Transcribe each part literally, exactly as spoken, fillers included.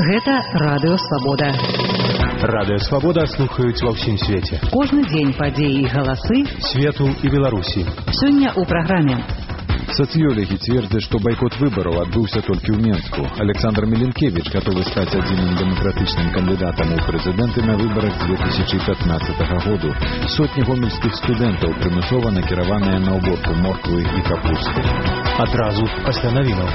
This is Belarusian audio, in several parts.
Гэта Радыё Свабода. Радыё Свабода слухаюць ва ўсім свеце. Кожны дзень падзеі і галасы свету і Беларусі. Сёння ў праграме. Социологи твердят, что бойкот выборов отбылся только в Минску. Александр Миленкевич готов стать одним демократичным кандидатом у президенты на выборах две тысячи пятнадцатого года. Сотни гомельских студентов примусово накированы на уборку морквы и капусты. Отразу после новинок.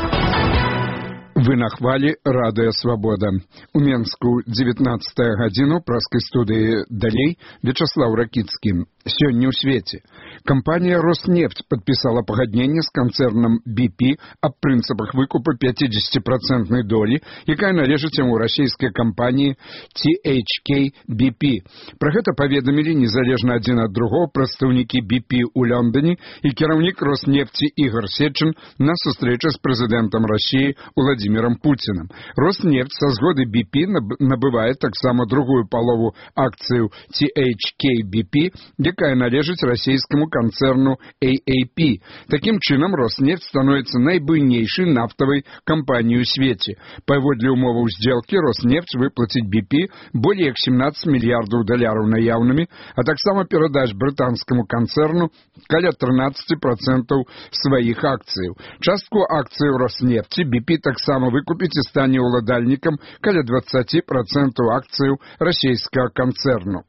Вы на хвалі Радыё Свабода. У Менску дзевятнаццатая гадзіну праскай студыі далей Вячаслав Ракіцкі. Сёння ў свеце. Кампанія «Роснефть» падпісала пагадненне з канцэрнам би пі аб прынцыпах выкупа пяцідзесяціпрацэнтнай долі, якая належыць яму расійскай кампаніі ти эйч кей би пі. Пра гэта паведамілі незалежна адзін ад другога прадстаўнікі би пі ў Лондоне і кіраўнік «Роснефти» Ігор Сечин на сустрэчы з прэзідэнтам Расіі Владимиром Путиным. «Роснефть» са згоды би пі набывае таксама другую палову акцыяў ти эйч кей би пі, якая належыць расійскаму канцэрну эй эй пі. Такім чынам, «Роснефть» становіцца найбуйнейшай нафтавай кампаніяй у свеце. Паводле умоваў здзелкі, «Роснефть» выплаціць би пі болей як семнадцать мільярдаў даляраў наяўнымі, а таксама перадаць брытанскаму канцэрну каля трынаццаць працэнтаў сваіх акцыяў. Частку акцыяў «Роснефти» би пі таксама выкупіць і стане ўладальнікам каля дваццаць працэнтаў акцыяў расійскага канцэрну.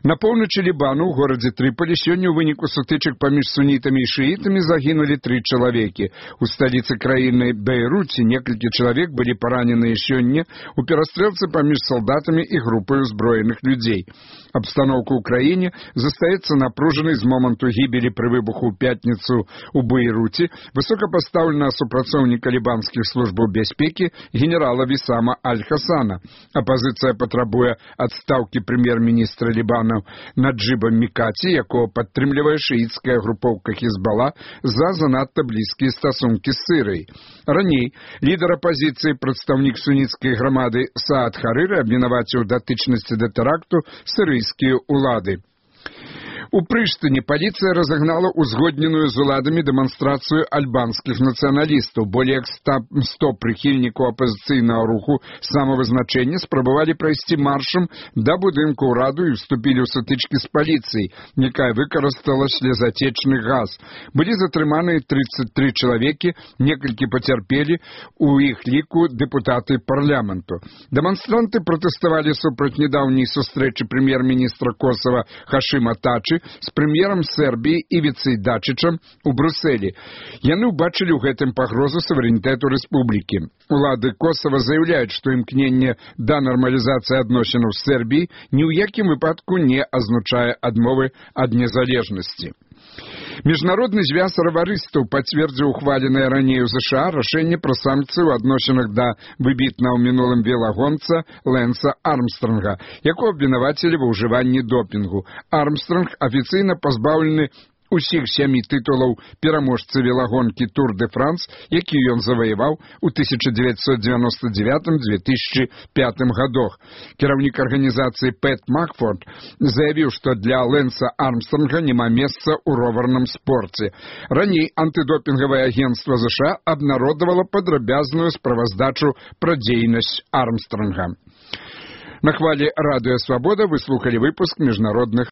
На поўначы Лібану ў горадзе Трыполі сёння ў выніку сутычак паміж сунітамі і шыітамі загінулі тры чалавекі. У сталіцы краіны Бейруце некалькі чалавек былі параненыя сёння ў перастрэлцы паміж салдатамі і групай узброеных людзей. Абстаноўка ў краіне застаецца напружанай з моманту гібелі пры выбуху ў пятніцу ў Бейруце высокапастаўленага супрацоўніка лібанскіх службаў бяспекі генерала Вісама Аль-Хасана. Апазіцыя патрабуе адстаўкі прэм'ер-міністра Лібана Наджыба Мікаці, якого падтрымлівае шыіцкая групоўка Хізбала за занадта блізкія стасункі з Сірыяй. Раней лідар апазіцыі, прадстаўнік суніцкай грамады Саад Харыры абвінаваціў датычнасці да тэракту сірыйскія ўлады. У Прыштыне паліцыя разагнала узгодненую з уладамі дэманстрацыю альбанскіх нацыяналістаў. Болей як сто прыхільнікаў апазіцыйнага руху самавызначэння спрабавалі прайсці маршам да будынку ўраду і вступілі ў сутычкі з паліцыяй, якая выкарыстала слезатечны газ. Былі затрыманыя тридцать три чалавекі, некалькі пацярпелі, у іх ліку дэпутаты парламенту. Дэманстранты пратэставалі супраць нядаўняй сустрэчы прэм'ер-міністра Косава Хашыма Тачы з прэм'ерам Сербіі Івіцай Дачычам у Брусэлі. Яны ўбачылі ў гэтым пагрозу суверэнітэту рэспублікі. Улады Косава заяўляюць, што імкненне да нармалізацыі адносінаў з Сербіяй ні ў якім выпадку не азначае адмовы ад незалежнасці. Міжнародны звяз раварыстаў пацвердзіў ухваленае раней у ЗША рашэнне пра санкцыі ў адносінах да выбітнага ў мінулым велагонца Лэнса Армстронга, якого абвінавацілі ва ўжыванні допінгу. Армстронг афіцыйна пазбаўлены усіх сямі тытулаў пераможцы велагонкі Тур де Франс, які ён заваяваў у тысяча дзевяцьсот дзевяноста дзевятым — две тысячи пятым гадах. Кіраўнік арганізацыі Пэт Макфорд заявіў, што для Лэнса Армстронга няма месца ў роварным спорце. Раней антыдопінгавае агенцтва ЗША абнародавала падрабязную справаздачу пра дзейнасць Армстронга. На хвалі Радыё Свабода вы слухали выпуск міжнародных